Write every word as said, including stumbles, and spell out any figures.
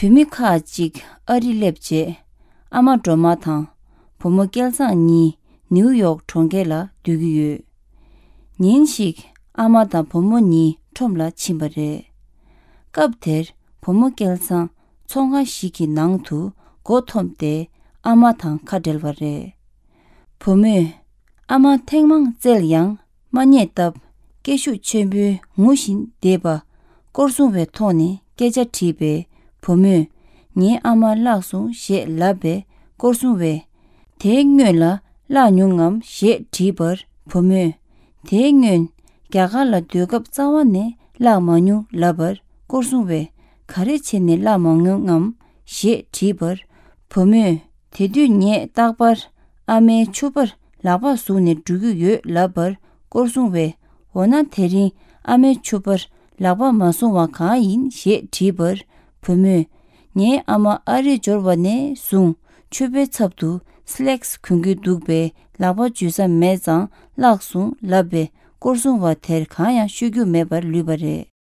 བུད་མེད་ཁག་ཅིག་ཨ་རི་སླེབས་རྗེས། ཨ་མ་སྒྲོལ་མ་དང་བུ་མོ་སྐལ་བཟང་གཉིས་ནིའུ་ཡོག་གྲོང་ཁྱེར་ལ་སྡོད་ཀྱི་ཡོད། ཉིན་ཞིག་ཨ་མ་དང་བུ་མོ་གཉིས་ཁྲོམ་ལ་ཕྱིན་པ་རེད། སྐབས་དེར་བུ་མོ་སྐལ་བཟང་ཚོང་ཁང་ཞིག་གི་ནང་དུ་མགོ་འཐོམས་ཏེ་ཨ་མ་དང་ཁ་བྲལ་བ་རེད། བུ་མོས་ཨ་མ་ཐེངས་མང་བཙལ་ཡང་མ་རྙེད་སྟབས། སྐད་ཤུགས་ཆེན་པོས་ངུ་བཞིན་བསྡད་པ། སྐོར་སྲུང་བའི་ཐོག་ནས་སྐད་ཆ་དྲིས་པས། བུ་མོས་ངའི་ཨ་མ་བརླགས་སོང་ཞེས་ལབ་པས། སྐོར་སྲུང་བས་དེའི་སྔོན་ལ་བརླགས་མྱོང་ངམ་ཞེས་དྲིས་པར། བུ་མོས་དེའི་སྔོན་རྒྱ་གར་ལ་སྡོད་སྐབས་རྩ་བ་ནས་བརླགས་མ་མྱོང་ལབ་པར། སྐོར་སྲུང་བས་ག་རེ་བྱས་ནས་བརླགས་མ་མྱོང་ངམ་ཞེས་དྲིས་པར། བུ་མོས་དེ་དུས་ངས་རྟག་པར་ཨ་མའི་ཕྱུ་པར་ལག་པ་བཟུང་ནས་འགྲོ་གི་ཡོད་ལབ་པར། སྐོར་སྲུང་བས་འོ་ན་དེ་རིང་ཨ་མའི་ཕྱུ་པར་ལག་པ་མ་བཟུང་བ་གང་ཡིན་ཞེས་དྲིས་པར། བུ་མོས་ངའི་ཨ་མ་ཨ་རི་འབྱོར་བ་ནས་བཟུང་ཕྱུ་པའི་ཚབ་ཏུ་སི་ལེགས་གོན་གྱི་འདུག་པས། ལག་པ་འཇུ་ས་མེད་ཙང་བརླགས་སོང་ལབ་པས། སྐོར་སྲུང་བ་དེར་གང་ཡང་ཤོད་རྒྱུ་མེད་པར་ལུས་པ་རེད།